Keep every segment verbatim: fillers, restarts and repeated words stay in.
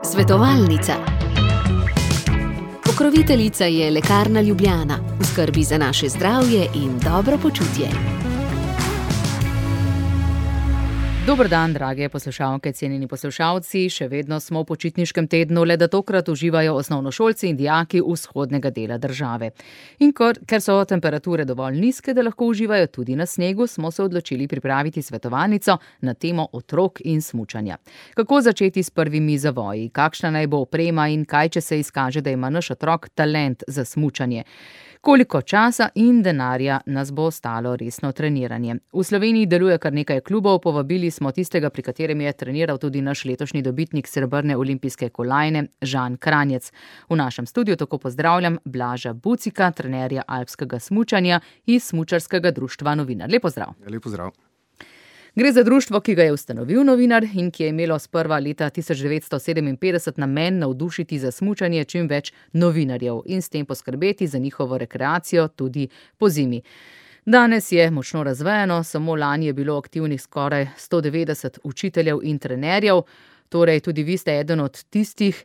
Svetovalnica. Pokroviteljica je Lekarna Ljubljana, v skrbi za naše zdravje in dobro počutje. Dober dan, drage poslušalke, cenjeni poslušalci. Še vedno smo v počitniškem tednu, le da tokrat uživajo osnovnošolci in dijaki vzhodnega dela države. In kor, ker so temperature dovolj nizke, da lahko uživajo tudi na snegu, smo se odločili pripraviti svetovalnico na temo otrok in smučanja. Kako začeti s prvimi zavoji, kakšna naj bo oprema in kaj, če se izkaže, da ima naš otrok talent za smučanje. Koliko časa in denarja nas bo stalo resno treniranje. V Sloveniji deluje kar nekaj klubov, povabili smo tistega, pri katerem je treniral tudi naš letošnji dobitnik srebrne olimpijske kolajne, Žan Kranjec. V našem studiu tako pozdravljam Blaža Bucika, trenerja alpskega smučanja iz Smučarskega društva Novinar. Lep pozdrav. Lep pozdrav. Gre za društvo, ki ga je ustanovil novinar in ki je imelo sprva leta tisoč devetsto sedeminpetdeset namen navdušiti za smučanje čim več novinarjev in s tem poskrbeti za njihovo rekreacijo tudi po zimi. Danes je močno razvejano, samo lani je bilo aktivnih skoraj sto devetdeset učiteljev in trenerjev, torej tudi vi ste eden od tistih,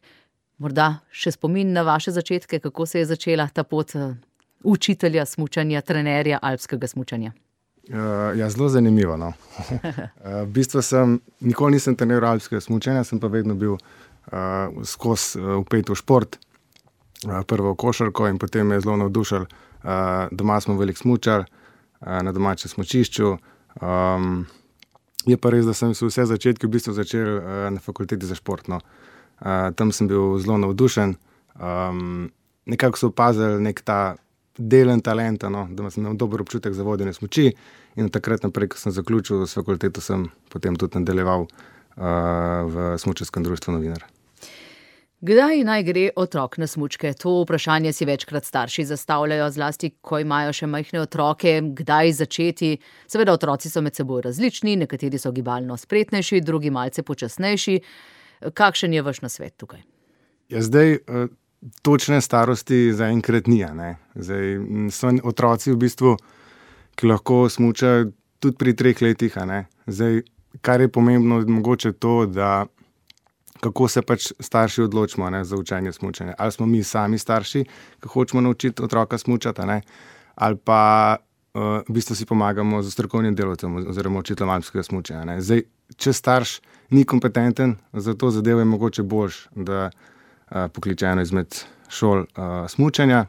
morda še spomin na vaše začetke, kako se je začela ta pot učitelja smučanja, trenerja alpskega smučanja. Uh, ja, zelo zanimivo. No. uh, v bistvu sem, nikoli nisem treniral alpskega smučanja, sem pa vedno bil uh, skozi uh, vpet v šport, uh, prvo v košarko in potem me je zelo navdušil. Uh, doma smo velik smučar, uh, na domačem smučišču. Um, je pa res, da sem se vse začetke v bistvu začel uh, na fakulteti za šport. No. Uh, tam sem bil zelo navdušen. Um, nekako so opazili nek ta delen talenta, no, da sem imel dober občutek za vodenje smuči in takrat naprej, ko sem zaključil s fakulteto, sem potem tudi nadaljeval uh, v Smučarskem društvu Novinar. Kdaj naj gre otrok na smučke? To vprašanje si večkrat starši zastavljajo, zlasti, ko imajo še majhne otroke. Kdaj začeti? Seveda, otroci so med seboj različni, nekateri so gibalno spretnejši, drugi malce počasnejši. Kakšen je vaš nasvet tukaj? Ja, zdaj... Uh, Točne starosti zaenkrat ni. Zdaj, so otroci v bistvu, ki lahko smučajo tudi pri treh letih. Zdaj, kar je pomembno, mogoče to, da kako se pač starši odločimo ne, za učenje smučanja. Ali smo mi sami starši, ki hočemo naučiti otroka smučati, ne, ali pa uh, v bistvu si pomagamo z strokovnim delavcem oziroma učiteljem alpskega smučanja. Ne. Zdaj, če starš ni kompetenten, za to zadevo je mogoče boljš, da pokliče eno izmed šol uh, smučanja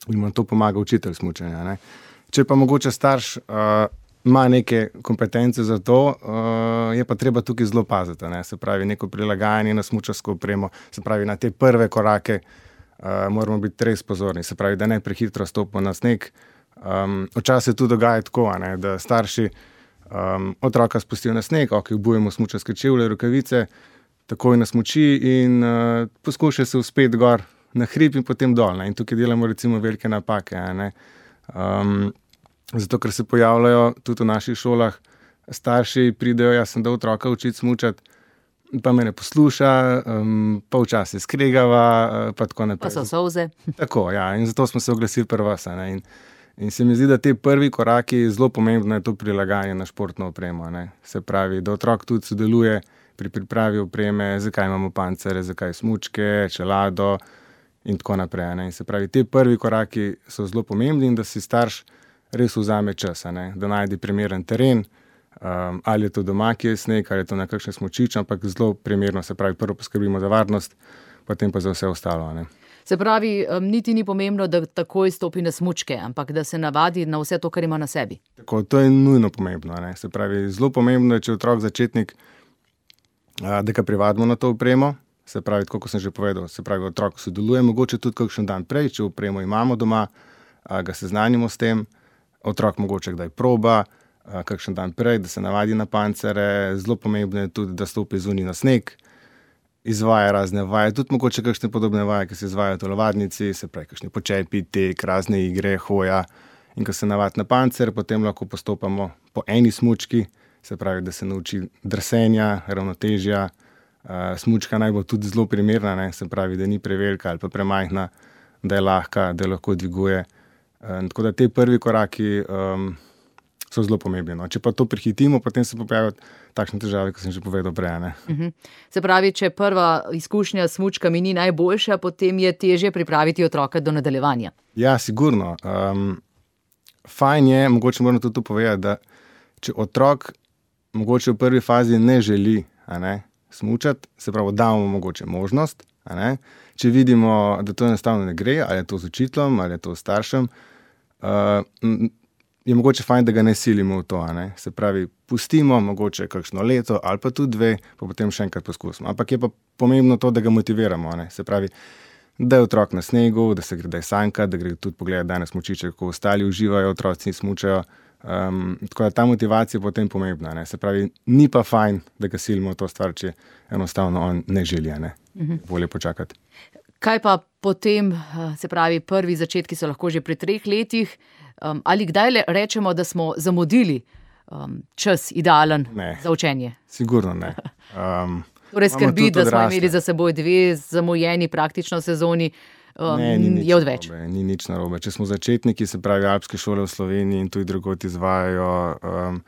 in mu to pomaga učitelj smučanja. Ne. Če pa mogoče starš uh, ima neke kompetence za to, uh, je pa treba tukaj zelo paziti. Ne. Se pravi, neko prilagajanje na smučarsko opremo, se pravi, na te prve korake uh, moramo biti res pozorni. Se pravi, da ne prehitro stopimo na sneg. Um, včasih se tudi dogaja tako, ne, da starši um, otroka spustijo na sneg, ok, obujemo smučarske čevlje, rokavice, takoj na smuči in uh, poskuša se uspeti gor na hrib in potem dol. Ne? In tukaj delamo recimo velike napake. Ne? Um, zato, ker se pojavljajo tudi v naših šolah, starši pridejo, jaz sem da otroka učiti smučati, pa me ne posluša, um, pa včasih skregava, uh, pa tako naprej. Pa so solze. Tako, ja, in zato smo se oglasili pri vas. Ne? In, in se mi zdi, da te prvi koraki, zelo pomembno je to prilagajanje na športno opremo. Ne? Se pravi, da otrok tudi sodeluje pri pripravi opreme, zakaj imamo pancere, zakaj smučke, čelado in tako naprej. Ne. In se pravi, te prvi koraki so zelo pomembni in da si starš res vzame čas, ne, da najde primeren teren, um, ali je to doma, ki je sneg, ali je to na kakšen smučič, ampak zelo primerno, se pravi, prvo poskrbimo za varnost, potem pa za vse ostalo. Ne. Se pravi, um, niti ni pomembno, da takoj stopi na smučke, ampak da se navadi na vse to, kar ima na sebi. Tako, to je nujno pomembno. Ne. Se pravi, zelo pomembno je, če otrok začetnik, da ga privadimo na to opremo, se pravi, tako kot sem že povedal, se pravi, otrok sodeluje, mogoče tudi kakšen dan prej, če opremo imamo doma, ga seznanimo s tem, otrok mogoče kdaj proba, kakšen dan prej, da se navadi na pancere, zelo pomembno je tudi, da stopi zunaj na sneg, izvaja razne vaje, tudi mogoče kakšne podobne vaje, ki se izvajajo v telovadnici, se pravi, kakšne počepi, tek, razne igre, hoja, in ko se navadi na pancer, potem lahko postopamo po eni smučki, se pravi, da se nauči drsenja, ravnotežja. Uh, smučka naj bo tudi zelo primerna, ne? Se pravi, da ni prevelika ali pa premajhna, da je lahka, da lahko dviguje. Uh, tako da te prvi koraki um, so zelo pomembni. No. Če pa to prehitimo, potem se pojavijo takšne težave, kot sem že povedal prej. Uh-huh. Se pravi, če prva izkušnja s smučkami ni najboljša, potem je težje pripraviti otroka do nadaljevanja. Ja, sigurno. Um, fajn je, mogoče moram tudi to povedati, da če otrok mogoče v prvi fazi ne želi a ne, smučati, se pravi, damo mogoče možnost, a ne, če vidimo, da to enostavno ne gre, ali je to z učiteljem, ali je to s staršem, uh, je mogoče fajn, da ga ne silimo v to, a ne? Se pravi, pustimo mogoče kakšno leto ali pa tudi dve, pa potem še enkrat poskusimo. Ampak je pa pomembno to, da ga motiviramo, a ne? Se pravi, da je otrok na snegu, da se gre, da je sanka, da gre tudi pogledati danes smučiče, kako ostali uživajo, otroci smučajo. Um, tako da ta motivacija je potem pomembna, ne? Se pravi, ni pa fajn, da ga silimo v to stvar, če enostavno on ne želi, a ne? Uh-huh. Bolje počakati. Kaj pa potem, se pravi, prvi začetki so lahko že pri treh letih, Um, ali kdaj le rečemo, da smo zamudili um, čas idealen ne, za učenje? Sigurno ne. Um, torej skrbi, da smo imeli za seboj dve zamujeni praktično sezoni, um, ne, ni je odveč. Narobe, ni nič narobe. Če smo začetniki, se pravi alpske šole v Sloveniji in tudi drugod izvajajo um,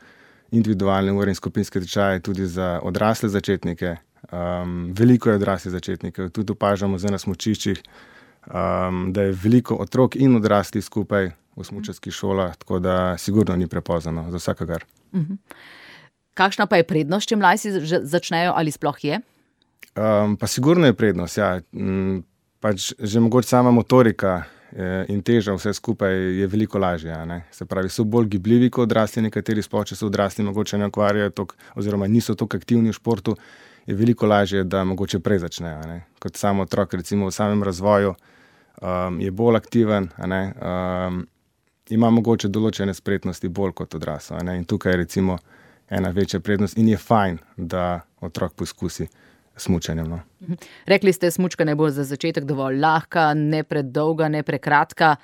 individualne ure in skupinske tečaje tudi za odrasle začetnike. Um, veliko je odraslih začetnikov, tudi opažamo zdaj na smučiščih, um, da je veliko otrok in odraslih skupaj v smučarskih šolah, tako da sigurno ni prepozno za vsakega. Uh-huh. Kakšna pa je prednost, če mlajši začnejo ali sploh je? Um, pa sigurno je prednost, ja. Um, pač že mogoče sama motorika eh, in teža vse skupaj je veliko lažje, ne? Se pravi, so bolj gibljivi kot odrasli, nekateri sploh, če so odrasli, mogoče ne ukvarjajo tok, oziroma niso toliko aktivni v športu, je veliko lažje, da mogoče prej začnejo, ne? Kot sam otrok, recimo v samem razvoju, um, je bolj aktiven, a ne, um, ima mogoče določene spretnosti bolj kot odrasel. In tukaj je recimo ena večja prednost in je fajn, da otrok poskusi smučanjem. No. Rekli ste, smučka naj bo za začetek dovolj lahka, ne predolga, ne prekratka.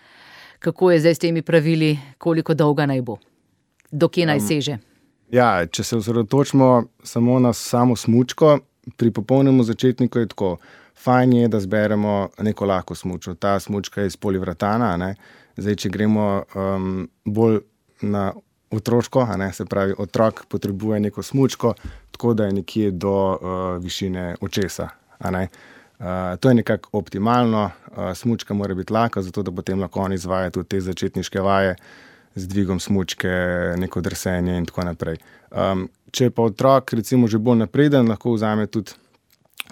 Kako je zdaj s temi pravili, koliko dolga naj bo? Do kje naj seže? Um, ja, če se osredotočimo samo na samo smučko, pri popolnemu začetniku je tako. Fajn je, da zberemo neko lahko smučo. Ta smučka je iz polivratana, ne? Zdaj, če gremo um, bolj na otroško, a ne, se pravi, otrok potrebuje neko smučko, tako da je nekje do uh, višine očesa. A ne. Uh, to je nekako optimalno, uh, smučka mora biti lahka, zato da potem lahko on izvaja tudi te začetniške vaje z dvigom smučke, neko drsenje in tako naprej. Um, če pa otrok recimo že bolj napreden, lahko vzame tudi,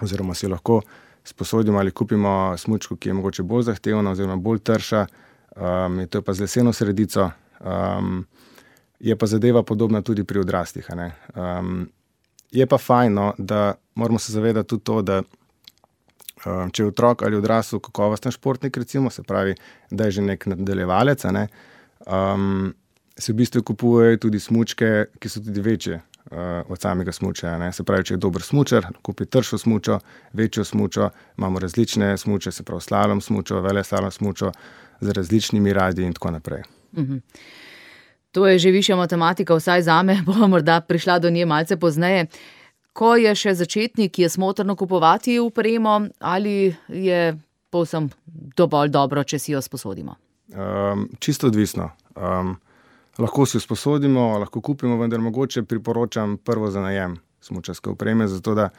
oziroma si lahko sposodimo ali kupimo smučko, ki je mogoče bolj zahtevna oziroma bolj trša. Um, to je pa z leseno sredico, um, je pa zadeva podobna tudi pri odraslih. Um, je pa fajno, da moramo se zavedati tudi to, da um, če je otrok ali odrasel kakovosten športnik, recimo, se pravi, da je že nek nadaljevalec, ne, um, se v bistvu kupujejo tudi smučke, ki so tudi večje uh, od samega smuča. Ne. Se pravi, če je dober smučar, kupi tršo smučo, večjo smučo, imamo različne smuče, se pravi slalom smučo, veleslalom smučo, z različnimi radi in tako naprej. Uhum. To je že višja matematika, vsaj zame, bom morda prišla do nje malce pozneje. Ko je še začetnik, je smotrno kupovati opremo ali je povsem dovolj dobro, če si jo sposodimo? Um, čisto odvisno. Um, lahko si jo sposodimo, lahko kupimo, vendar mogoče priporočam prvo za najem smučarske opreme, zato da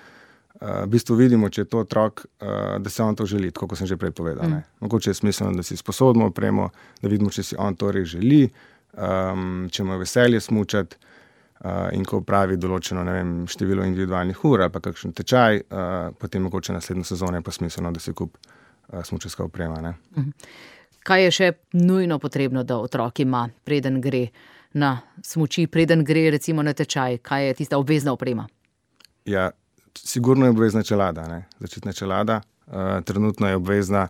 Uh, v bistvu vidimo, če je to otrok, uh, da se on to želi, tako kot sem že prej povedal. Mm. Mogoče je smiselno, da si sposodimo opremo, da vidimo, če si on to res želi, um, če mu je veselje smučati uh, in ko pravi določeno, ne vem, število individualnih ur ali pa kakšen tečaj, uh, potem mogoče naslednjo sezono je pa smiselno, da se kup uh, smučarska oprema. Ne? Mm. Kaj je še nujno potrebno, da otrok ima, preden gre na smuči, preden gre recimo na tečaj? Kaj je tista obvezna oprema? Ja, sigurno je obvezna čelada, ne? Začetna čelada. Uh, trenutno je obvezna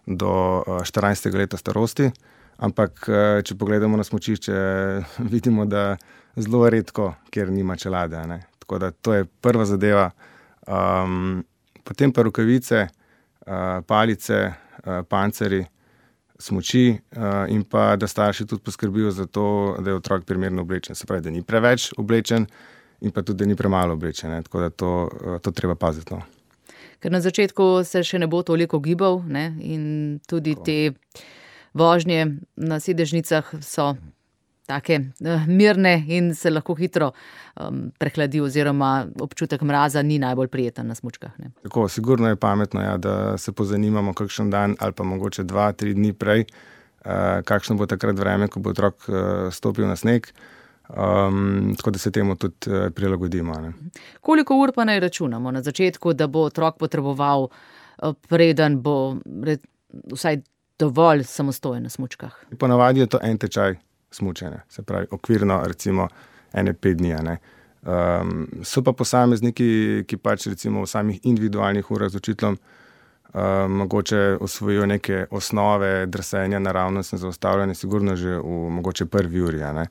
do uh, štirinajstega leta starosti, ampak uh, če pogledamo na smučišče, vidimo, da zelo redko, kjer nima čelade. Ne? Tako da to je prva zadeva. Um, potem pa rokavice, uh, palice, uh, panceri, smuči uh, in pa da starši tudi poskrbijo za to, da je otrok primerno oblečen. Se pravi, da ni preveč oblečen, in pa tudi, da ni premalo oblečen, ne? Tako da to, to treba paziti. No. Ker na začetku se še ne bo toliko gibal, ne? In tudi tako. Te vožnje na sedežnicah so take uh, mirne in se lahko hitro um, prehladi oziroma občutek mraza ni najbolj prijeten na smučkah. Ne? Tako, sigurno je pametno, ja, da se pozanimamo kakšen dan ali pa mogoče dva, tri dni prej, uh, kakšno bo takrat vreme, ko bo otrok uh, stopil na sneg. Um, tako da se temu tudi uh, prilagodimo. Ne. Koliko ur pa naj računamo na začetku, da bo otrok potreboval, uh, preden bo red, vsaj dovolj samostojen na smučkah? Ponavadi je to en tečaj smučanja, se pravi okvirno recimo ene pet dni. Ne. Um, so pa posamezniki, ki pač recimo v samih individualnih urah z učiteljem uh, mogoče osvojijo neke osnove drsenja, naravnostne zaustavljanje, sigurno že v mogoče prvi uri. Ne.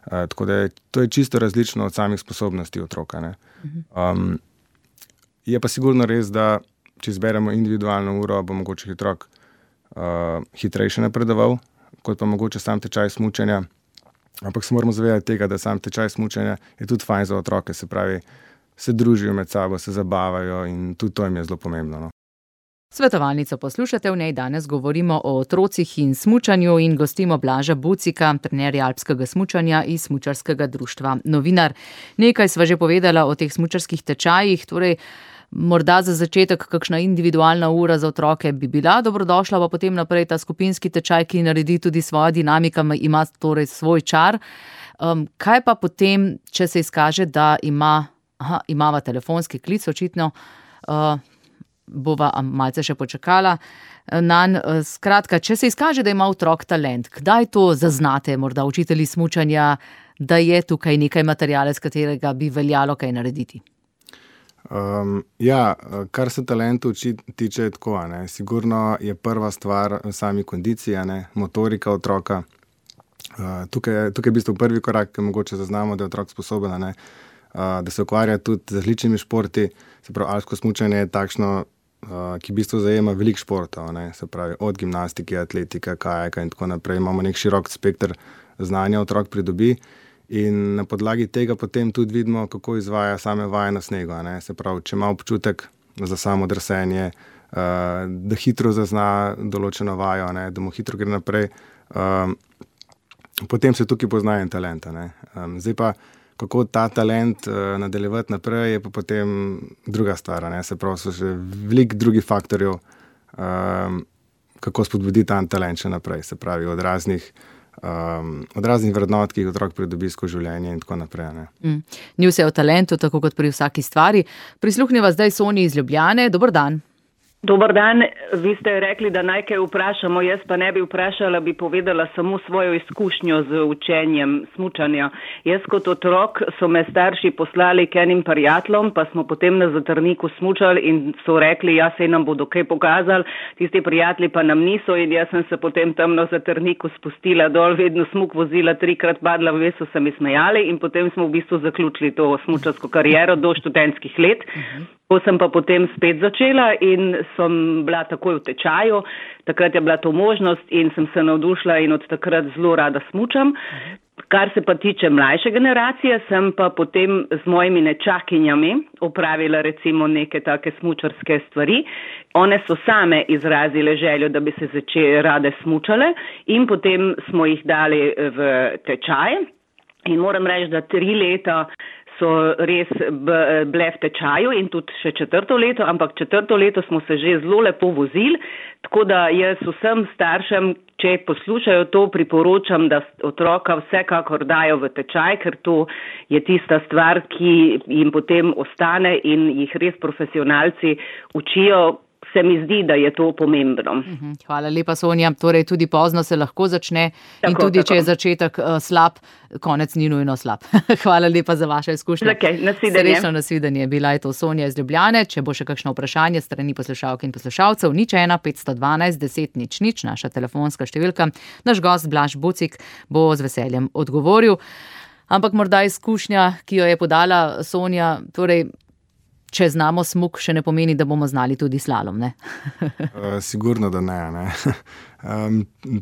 Uh, tako da je, to je čisto različno od samih sposobnosti otroka. Ne. Um, je pa sigurno res, da če izberemo individualno uro, bo mogoče otrok uh, hitrejše napredoval, kot pa mogoče sam tečaj smučanja. Ampak se moramo zavedati tega, da sam tečaj smučanja je tudi fajn za otroke, se pravi, se družijo med sabo, se zabavajo in tudi to jim je zelo pomembno. No. Svetovalnico poslušate, v njej danes govorimo o otrocih in smučanju in gostimo Blaža Bucika, trenerja alpskega smučanja iz Smučarskega društva Novinar. Nekaj sva že povedala o teh smučarskih tečajih, torej morda za začetek kakšna individualna ura za otroke bi bila dobrodošla, pa potem naprej ta skupinski tečaj, ki naredi tudi svojo dinamika, ima torej svoj čar. Um, kaj pa potem, če se izkaže, da ima, aha, imava telefonski klic, očitno, uh, bova malce še počakala nanj. Skratka, če se izkaže, da ima otrok talent, kdaj to zaznate, morda učitelji smučanja, da je tukaj nekaj materiala, s katerega bi veljalo kaj narediti? Um, ja, kar se talentu tiče tako, ne, sigurno je prva stvar sami kondicija, ne, motorika otroka. Uh, tukaj, tukaj je v bistvu prvi korak, ki mogoče zaznamo, da je otrok sposoben, ne, uh, da se ukvarja tudi z različnimi športi. Se pravi, alpsko smučanje je takšno, uh, ki v bistvu zajema veliko športov, ne, se pravi od gimnastike, atletike, kajaka in tako naprej. Imamo nek širok spekter znanja otrok pridobi. In na podlagi tega potem tudi vidimo, kako izvaja same vaje na snegu. Ne? Se pravi, če ima občutek za samo drsenje, uh, da hitro zazna določeno vajo, ne? Da mu hitro gre naprej, um, potem se tukaj pozna en talent. Ne? Um, zdaj pa, kako ta talent uh, nadaljevati naprej, je pa potem druga stvar. Ne? Se pravi, so še veliko drugih faktorjev, um, kako spodbuditi ta talent še naprej. Se pravi, od raznih Um, od raznih vrednot, ki jih otrok pridobi skozi življenje in tako naprej. Ne. Mm. Ni vse o talentu, tako kot pri vsaki stvari. Prisluhneva zdaj Sonji iz Ljubljane. Dober dan. Dober dan, vi ste rekli, da naj kaj vprašamo, jaz pa ne bi vprašala, bi povedala samo svojo izkušnjo z učenjem smučanja. Jaz kot otrok so me starši poslali k enim prijateljem, pa smo potem na Zatrniku smučali in so rekli, ja, sej nam bodo kaj pokazali, tisti prijatelji pa nam niso in jaz sem se potem tam na Zatrniku spustila dol, vedno smuk vozila, trikrat padla, ve so se mi smejali in potem smo v bistvu zaključili to smučarsko kariero do študentskih let. Ko sem pa potem spet začela in sem bila takoj v tečaju, takrat je bila to možnost in sem se navdušila in od takrat zelo rada smučam. Kar se pa tiče mlajše generacije, sem pa potem z mojimi nečakinjami opravila recimo neke take smučarske stvari. One so same izrazile željo, da bi se začele rade smučale in potem smo jih dali v tečaj in moram reči, da tri leta so res bile v tečaju in tudi še četrto leto, ampak četrto leto smo se že zelo lepo vozili, tako da jaz vsem staršem, če poslušajo to, priporočam, da otroka vsekakor dajo v tečaj, ker to je tista stvar, ki jim potem ostane in jih res profesionalci učijo. Se mi zdi, da je to pomembno. Hvala lepa, Sonja. Torej, tudi pozno se lahko začne tako, in tudi, tako. Če je začetek uh, slab, konec ni nujno slab. Hvala lepa za vaše izkušnje. Okay, nasvidenje. Srečno nasvidenje. Bila je to Sonja iz Ljubljane. Če bo še kakšno vprašanje strani poslušalk in poslušalcev, nič ena petsto dvanajst deset nič nič, naša telefonska številka. Naš gost Blaž Bucik bo z veseljem odgovoril. Ampak morda izkušnja, ki jo je podala Sonja, torej, če znamo smuk, še ne pomeni, da bomo znali tudi slalom, ne? uh, sigurno, da ne. ne. Um,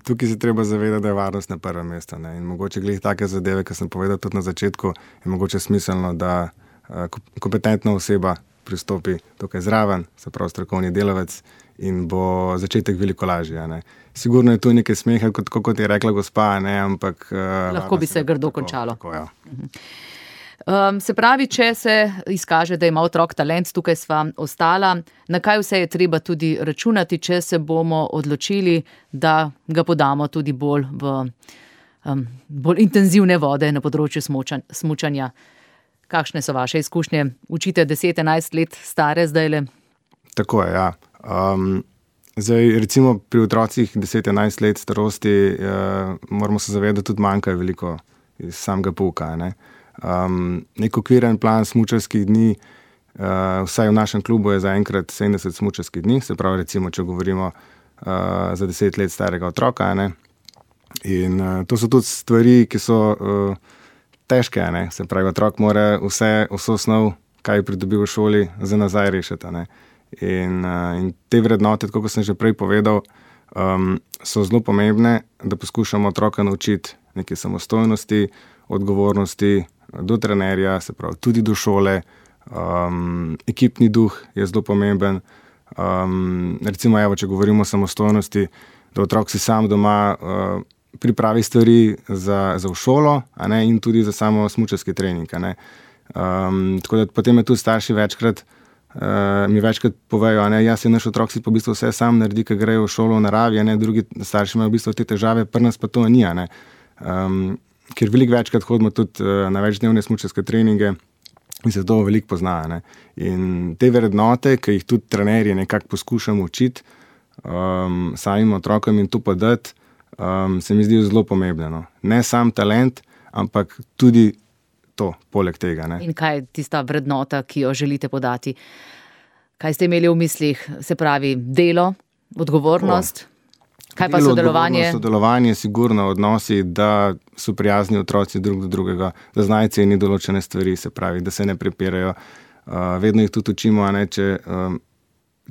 tukaj se treba zavedati, da je varnost na prvem mestu. Ne? In mogoče glih take zadeve, ki sem povedal tudi na začetku, je mogoče smiselno, da uh, kompetentna oseba pristopi tukaj zraven, se pravi strokovni delavec in bo začetek veliko lažje. Ne. Sigurno je tu nekaj smeha, kot, kot je rekla gospa, ne, ampak... Lahko bi se grdo končalo. Tako, ja. Um, se pravi, če se izkaže, da ima otrok talent, tukaj sva ostala, na kaj vse je treba tudi računati, če se bomo odločili, da ga podamo tudi bolj v um, bolj intenzivne vode na področju smučan, smučanja. Kakšne so vaše izkušnje? Učite deset enajst let stare zdajle? Tako je, ja. Um, zdaj, recimo pri otrocih deset enajst let starosti uh, moramo se zavedati, tudi manjka veliko iz samega pouka, ne. Um, nek okviren plan smučarskih dni, uh, vsaj v našem klubu je zaenkrat sedemdeset smučarskih dni, se pravi recimo, če govorimo uh, za deset let starega otroka, ne? In uh, to so tudi stvari, ki so uh, težke, ne? Se pravi, otrok mora vse, vso snov, kaj je pridobil v šoli, za nazaj rešiti, ne? In, uh, in te vrednote, tako kot sem že prej povedal, um, so zelo pomembne, da poskušamo otroka naučiti neke samostojnosti, odgovornosti do trenerja, se pravi tudi do šole, um, ekipni duh je zelo pomemben. Um, recimo, evo, če govorimo o samostojnosti, da otrok si sam doma uh, pripravi stvari za, za v šolo, a ne, in tudi za samo smučarski trening. A ne. Um, tako da potem je tudi starši večkrat, uh, mi večkrat povejo, a ne, jaz je naš otrok si pa v bistvu vse sam naredi, ker grejo v šolo v naravi, a ne, drugi starši imajo v bistvu te težave, pri nas pa to ni, a ne. Um, ker veliko večkrat hodimo tudi uh, na večdnevne smučarske treninge in se to veliko pozna. Ne? In te vrednote, ki jih tudi trenerji nekako poskušamo učiti um, samim otrokom in to podati, um, se mi zdi zelo pomembno. No? Ne sam talent, ampak tudi to, poleg tega. Ne? In kaj je tista vrednota, ki jo želite podati? Kaj ste imeli v mislih? Se pravi, delo, odgovornost? O. Kaj pa sodelovanje? Sodelovanje, sigurno odnosi, da so prijazni otroci drug do drugega, da znajo ceniti določene stvari, se pravi, da se ne prepirajo. Uh, vedno jih tudi učimo, a ne, če, um,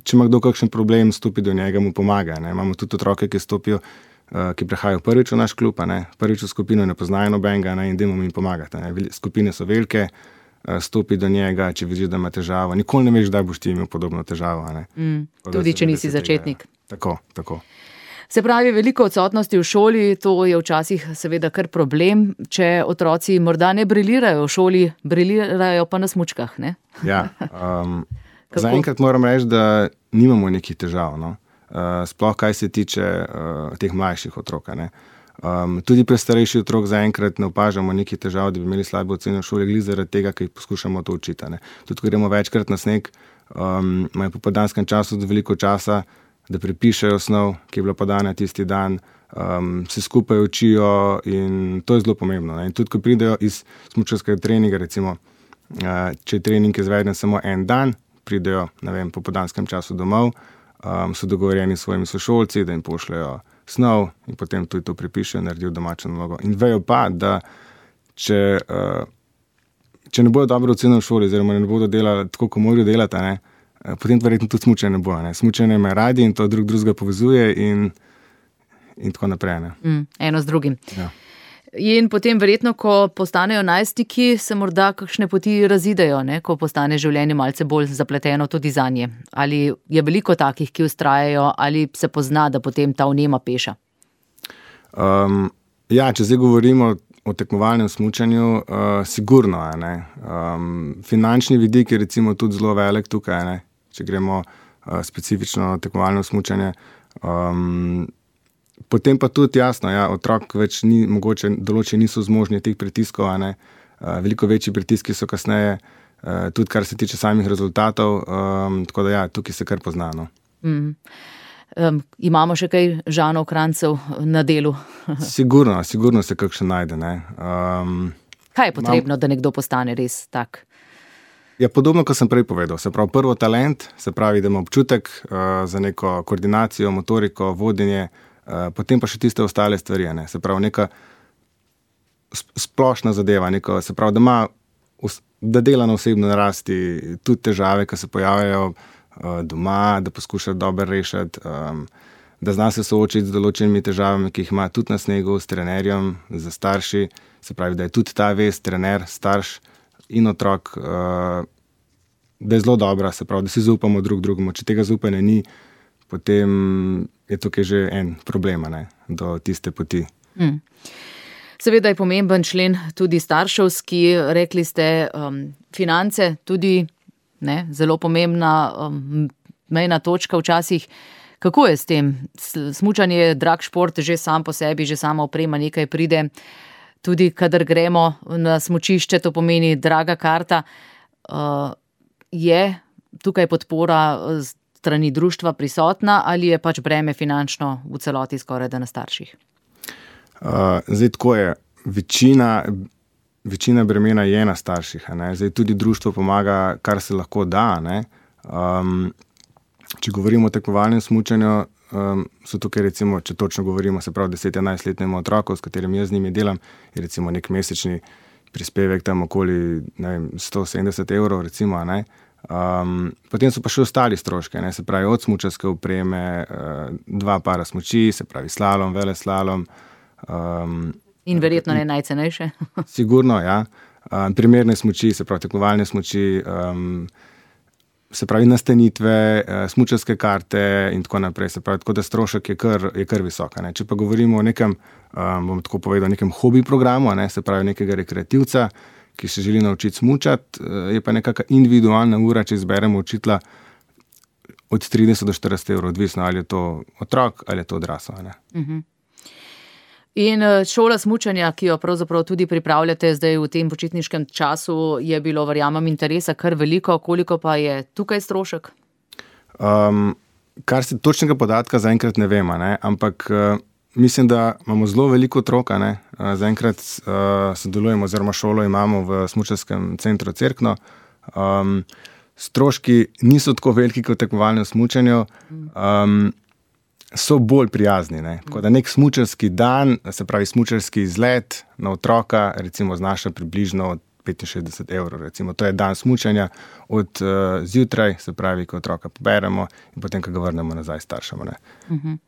če ima kdo kakšen problem, stopi do njega, mu pomaga. Ne. Imamo tudi otroke, ki stopijo, uh, ki prihajajo prvič v naš klub, a ne, prvič v skupino, ne poznajo nobenega, ne, in dajmo jim pomagati. Ne. Skupine so velike, uh, stopi do njega, če vidiš, da ima težavo. Nikoli ne veš, da boš ti imel podobno težavo. A ne. Mm, tudi, če nisi začetnik. Tega, tako, tako. Se pravi, veliko odsotnosti v šoli, to je včasih seveda kar problem, če otroci morda ne brilirajo v šoli, brilirajo pa na smučkah, ne? Ja, um, zaenkrat moram reči, da nimamo nekih težav, no? uh, sploh kaj se tiče uh, teh mlajših otrok. Ne? Um, tudi pri starejših otrok zaenkrat ne opažamo nekih težav, da bi imeli slabe ocene v šoli, glih zaradi tega, ker jih poskušamo to učiti. Ne? Tudi, ko gremo večkrat na sneg, um, imajo po popoldanskem času veliko časa, da prepišejo snov, ki je bila podana tisti dan, um, se skupaj učijo in to je zelo pomembno. Ne? In tudi, ko pridejo iz smučarskega treninga, recimo, uh, če je trening izveden samo en dan, pridejo, ne vem, po popoldanskem času domov, um, so dogovorjeni s svojimi sošolci, da jim pošljajo snov in potem tudi to prepišejo, naredijo domačo nalogo. In vejo pa, da če, uh, če ne bodo dobro ocenjeni v šoli, oziroma ne bodo delali tako, kot morajo delati, ne, potem verjetno tudi smučanje ne bo. Ne. Smučanje me radi in to drug drugega povezuje in, in tako naprej. Ne. Mm, eno z drugim. Ja. In potem verjetno, ko postanejo najstniki, se morda kakšne poti razidejo, ne, ko postane življenje malce bolj zapleteno tudi zanje. Ali je veliko takih, ki vztrajajo, ali se pozna, da potem ta vnema peša? Um, ja, če zdaj govorimo o tekmovalnem smučanju, uh, sigurno je. Ne. Um, finančni vidik je recimo tudi zelo velik tukaj, ne. Če gremo uh, specifično tekmovalno smučanje. Um, potem pa tudi jasno, ja, otrok več ni, mogoče določeni niso zmožni teh pritiskov, a ne. Uh, veliko večji pritiski so kasneje, uh, tudi kar se tiče samih rezultatov, um, tako da ja, tukaj se kar pozna. No. Mm. Um, imamo še kaj Žanov Kranjcev na delu? Sigurno, sigurno se kakšen najde. Ne. Um, Kaj je potrebno, mam... da nekdo postane res tak? Ja, podobno, kot sem prej povedal. Se pravi, prvo talent, se pravi, da ima občutek uh, za neko koordinacijo, motoriko, vodenje, uh, potem pa še tiste ostale stvari. Ne. Se pravi, neka splošna zadeva, neko, se pravi, da ima, da dela na osebno narasti tudi težave, ki se pojavljajo uh, doma, da poskuša dobro rešiti, um, da zna se soočiti z določenimi težavami, ki jih ima tudi na snegu, s trenerjem, z starši. Se pravi, da je tudi ta vez, trener, starš in otrok, uh, da je zelo dobra, se pravi, da si zaupamo drug drugemu. Če tega zaupanja ni, potem je tukaj že en problem, ne, do tiste poti. Hmm. Seveda je pomemben člen tudi starševski, rekli ste, um, finance, tudi ne, zelo pomembna um, mejna točka včasih. Kako je s tem? Smučanje je drag šport, že sam po sebi, že sama oprema nekaj pride. Tudi kadar gremo na smučišče, to pomeni draga karta. Uh, je tukaj podpora strani društva prisotna ali je pač breme finančno v celoti skoraj da na starših? Uh, zdaj tako je. Večina, večina bremena je na starših. Ne? Zdaj tudi društvo pomaga, kar se lahko da. Ne? Um, če govorimo o tekmovalnem smučanju, um, so tukaj recimo, če točno govorimo, se pravi deset-enajstletnemu otroku, s katerim jaz z njimi delam, je recimo nek mesečni prispevek tam okoli ne vem, sto sedemdeset evrov recimo, ne. Um, potem so pa še ostali stroške, ne, se pravi od smučarske opreme, uh, dva para smuči, se pravi slalom, veleslalom. Um, In verjetno ne najcenejše. Sigurno, ja. Um, primerne smuči, se pravi tekmovalne smuči, um, se pravi nastanitve, uh, smučarske karte in tako naprej. Se pravi, tako da strošek je kar, je kar visoka. Ne. Če pa govorimo o nekem, um, bom tako povedal, nekem hobi programu, ne, se pravi nekega rekreativca, ki se želi naučiti smučati, je pa nekaka individualna ura, če izberemo učitla od trideset do štirideset evrov, odvisno ali je to otrok ali je to odrasel. Uh-huh. In šola smučanja, ki jo pravzaprav tudi pripravljate zdaj v tem počitniškem času, je bilo, verjamem, interesa kar veliko, koliko pa je tukaj strošek? Um, kar se točnega podatka zaenkrat ne vemo, ne? Ampak mislim, da imamo zelo veliko otroka, ne. Zaenkrat uh, sodelujemo oziroma šolo imamo v smučarskem centru Cerkno. Um, stroški niso tako veliki kot v tekmovalnem smučanju, um, so bolj prijazni, ne. Tako da nek smučarski dan, se pravi smučarski izlet na otroka, recimo znaša približno petinšestdeset evrov, recimo. To je dan smučanja od uh, zjutraj, se pravi, ko otroka poberemo in potem, ko ga vrnemo nazaj staršem, ne. Uh-huh.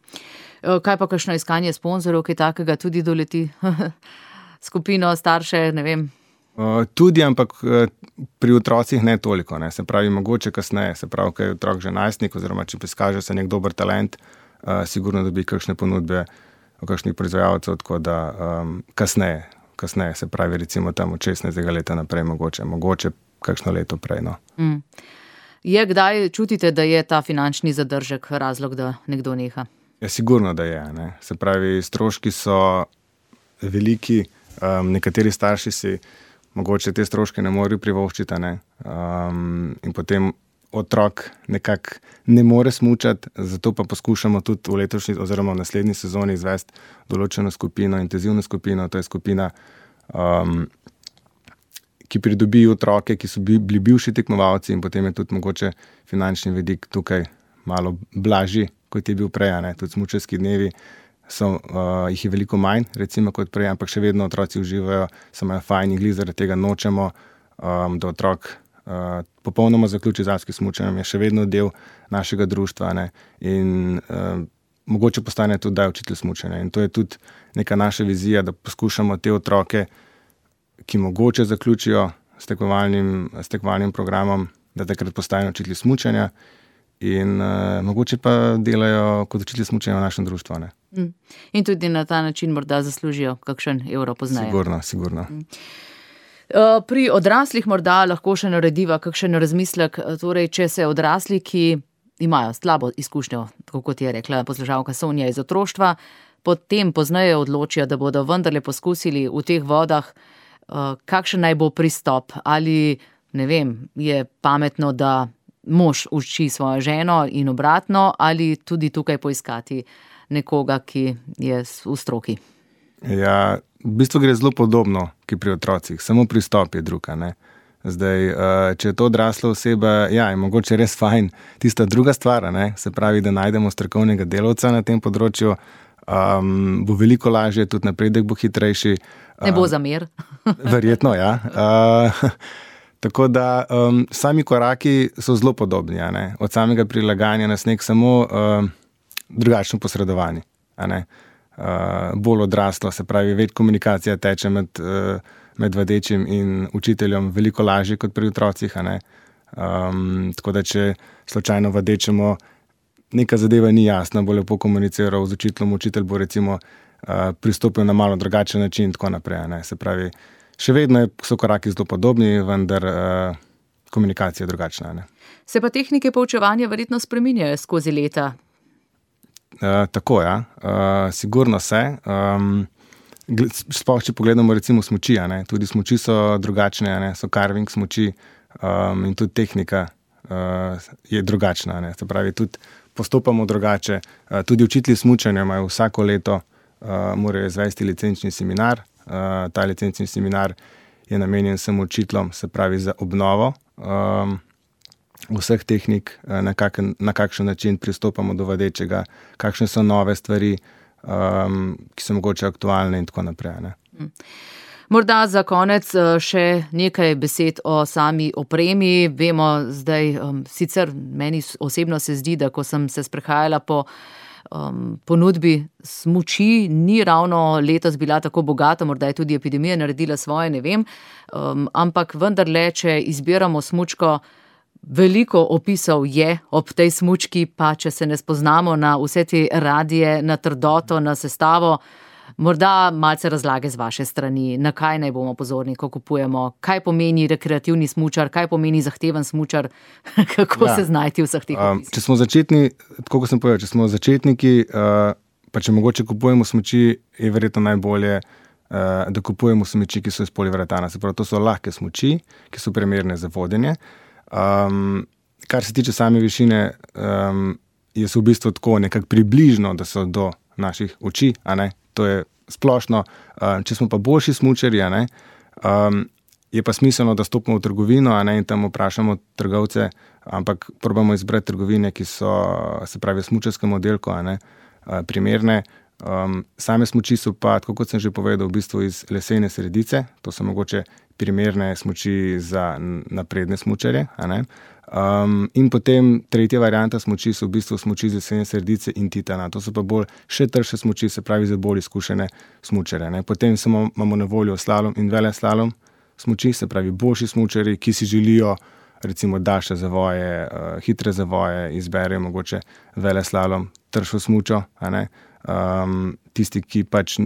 Kaj pa kakšno iskanje sponzorov, ki takega tudi doleti skupino starše, ne vem? Uh, tudi, ampak uh, pri otrocih ne toliko, ne. Se pravi, mogoče kasneje, se pravi, ko je otrok že najstnik, oziroma če izkaže se nek dober talent, uh, sigurno dobi kakšne ponudbe od kakšnih proizvajalcev, tako da um, kasneje, kasneje, se pravi, recimo tam od šestnajstega leta naprej, mogoče, mogoče kakšno leto prej, no. Mm. Je kdaj čutite, da je ta finančni zadržek razlog, da nekdo neha? Ja, sigurno, da je, ne. Se pravi, stroški so veliki, um, nekateri starši si mogoče te stroške ne morejo privoščiti, ne. Um, in potem otrok nekako ne more smučati, zato pa poskušamo tudi v letošnji oziroma v naslednji sezoni izvesti določeno skupino, intenzivno skupino, to je skupina, um, ki pridobi otroke, ki so bili bivši tekmovalci in potem je tudi mogoče finančni vidik tukaj malo blažji, kot je bil prej, ne, tudi smučarski dnevi so, uh, jih je veliko manj, recimo kot prej, ampak še vedno otroci uživajo, so imajo fajn in glih zaradi tega nočemo, um, da otrok uh, popolnoma zaključi z alpskim smučanjem, je še vedno del našega društva, ne, in uh, mogoče postane tudi da učitelj smučanja. In to je tudi neka naša vizija, da poskušamo te otroke, ki mogoče zaključijo s tekmovalnim, s tekmovalnim programom, da takrat postanejo učitelji smučanja, in uh, mogoče pa delajo kot učitelji smučanja v našem društvu. Ne? Mm. In tudi na ta način morda zaslužijo kakšen evro pozneje. Sigurno, sigurno. Mm. Uh, pri odraslih morda lahko še narediva kakšen razmislek, torej če se odrasli, ki imajo slabo izkušnjo, tako kot je rekla poslušalka Sonja iz otroštva, potem pozneje odločijo, da bodo vendarle poskusili v teh vodah, uh, kakšen naj bo pristop, ali ne vem, je pametno, da mož uči svojo ženo in obratno, ali tudi tukaj poiskati nekoga, ki je v stroki? Ja, v bistvu gre zelo podobno, ki pri otrocih, samo pristop je druga, ne. Zdaj, če je to odrasla oseba, ja, je mogoče res fajn tista druga stvar, ne, se pravi, da najdemo strokovnega delavca na tem področju, um, bo veliko lažje, tudi napredek bo hitrejši. Ne bo zamer. Verjetno, ja. Uh, Tako da um, sami koraki so zelo podobni, a ne? Od samega prilagajanja na sneg, samo uh, drugačno posredovanje. A ne? Uh, bolj odraslo, se pravi, več komunikacija teče med, uh, med vadečim in učiteljem, veliko lažje kot pri otrocih. A ne? Um, tako da, če slučajno vadečemo, neka zadeva ni jasna, bo lepo komuniciral z učiteljem, učitelj bo recimo uh, pristopil na malo drugačen način in tako naprej. Ne. Se pravi, še vedno so koraki zelo podobni, vendar uh, komunikacija je drugačna. Ne. Se pa tehnike poučevanja verjetno spreminjajo skozi leta? Uh, tako, ja. Uh, sigurno se. Um, sploh, če pogledamo recimo smuči, ne. Tudi smuči so drugačne, ne. So carving smuči um, in tudi tehnika uh, je drugačna. Ne. Se pravi, tudi postopamo drugače. Uh, tudi učitelji smučanja imajo vsako leto, uh, morajo izvesti licenčni seminar. Uh, ta licenčni seminar je namenjen samo učiteljem, se pravi za obnovo um, vseh tehnik, na, kak, na kakšen način pristopamo do vadečega, kakšne so nove stvari, um, ki so mogoče aktualne in tako naprej. Ne. Morda za konec še nekaj besed o sami opremi. Vemo zdaj, um, sicer meni osebno se zdi, da ko sem se sprehajala po um, ponudbi smuči, ni ravno letos bila tako bogata, morda je tudi epidemija naredila svoje, ne vem, um, ampak vendarle, če izbiramo smučko, veliko opisov je ob tej smučki, pa če se ne spoznamo na vse te radije, na trdoto, na sestavo, morda malce razlage z vaše strani, na kaj naj bomo pozorni, ko kupujemo, kaj pomeni rekreativni smučar, kaj pomeni zahteven smučar, kako ja. se znajti v vseh teh opisih. Um, če smo začetni, tako kot sem povedal, če smo začetniki, uh, pa če mogoče kupujemo smuči, je verjetno najbolje, uh, da kupujemo smuči, ki so iz poliuretana. Se pravi, to so lahke smuči, ki so primerne za vodenje. Um, kar se tiče same višine, um, je v bistvu tako nekako približno, da so do naših oči, a ne, to je splošno. Um, če smo pa boljši smučarji, a ne, um, je pa smiselno, da stopimo v trgovino, a ne, in tam vprašamo trgovce, ampak probamo izbrati trgovine, ki so, se pravi, smučarskem oddelku, a ne, uh, primerne. Um, same smuči so pa, tako kot sem že povedal, v bistvu iz lesene sredice, to so mogoče primerne smuči za napredne smučarje, a ne. Um, in potem tretja varianta smuči so v bistvu smuči iz lesene sredice in titana, to so pa bolj še trše smuči, se pravi za bolj izkušene smučare, ne. Potem samo imamo na voljo slalom in veleslalom smuči, se pravi boljši smučari, ki si želijo recimo daljše zavoje, uh, hitre zavoje, izberejo mogoče veleslalom, tršo smučo, a ne. Um, tisti, ki pač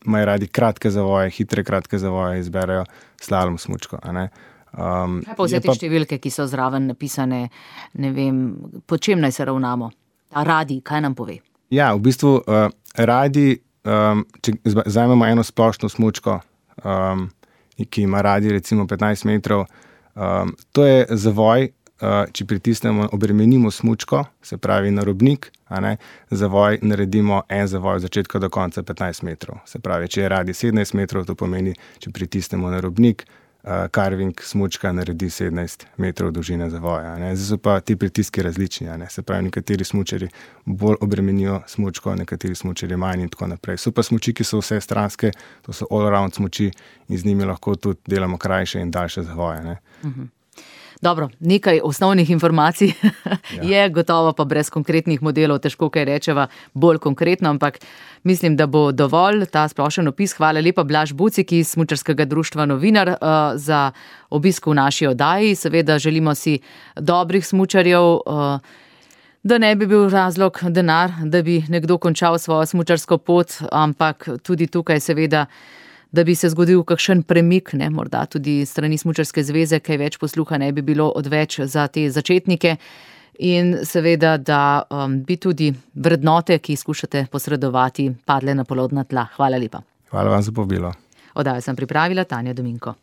imajo radi kratke zavoje, hitre kratke zavoje, izberejo slalom smučko, a ne. Um, Kaj pa vse te pa... številke, ki so zraven napisane, ne vem, po čem naj se ravnamo? A radi, kaj nam pove? Ja, v bistvu uh, radi, um, če vzamemo eno splošno smučko, um, ki ima radi recimo petnajst metrov, um, to je zavoj, uh, če pritisnemo, obremenimo smučko, se pravi na robnik, a ne, zavoj naredimo en zavoj od začetka do konca petnajst metrov. Se pravi, če je radi sedemnajst metrov, to pomeni, če pritisnemo na robnik, uh, carving smučka naredi sedemnajst metrov dolžine zavoja. Ne. Zdaj so pa ti pritiski različni, a ne. Se pravi, nekateri smučari bolj obremenijo smučko, nekateri smučari manj in tako naprej. So pa smuči, ki so vse stranske, to so all around smuči in z njimi lahko tudi delamo krajše in daljše zavoje. Ne. Uh-huh. Dobro, nekaj osnovnih informacij ja. je, gotovo pa brez konkretnih modelov težko kaj rečeva bolj konkretno, ampak mislim, da bo dovolj ta splošen opis. Hvala lepa Blaž Bucik iz Smučarskega društva Novinar uh, za obisk v naši oddaji. Seveda želimo si dobrih smučarjev, uh, da ne bi bil razlog denar, da bi nekdo končal svojo smučarsko pot, ampak tudi tukaj seveda da bi se zgodil kakšen premik, ne, morda tudi strani Smučarske zveze, kaj več posluha ne bi bilo odveč za te začetnike in seveda, da um, bi tudi vrednote, ki skušate posredovati, padle na plodna tla. Hvala lepa. Hvala vam za povabilo. Oddajo sem pripravila Tanja Dominko.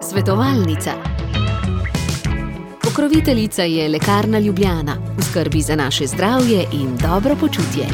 Svetovalnica. Pokroviteljica je Lekarna Ljubljana, v skrbi za naše zdravje in dobro počutje.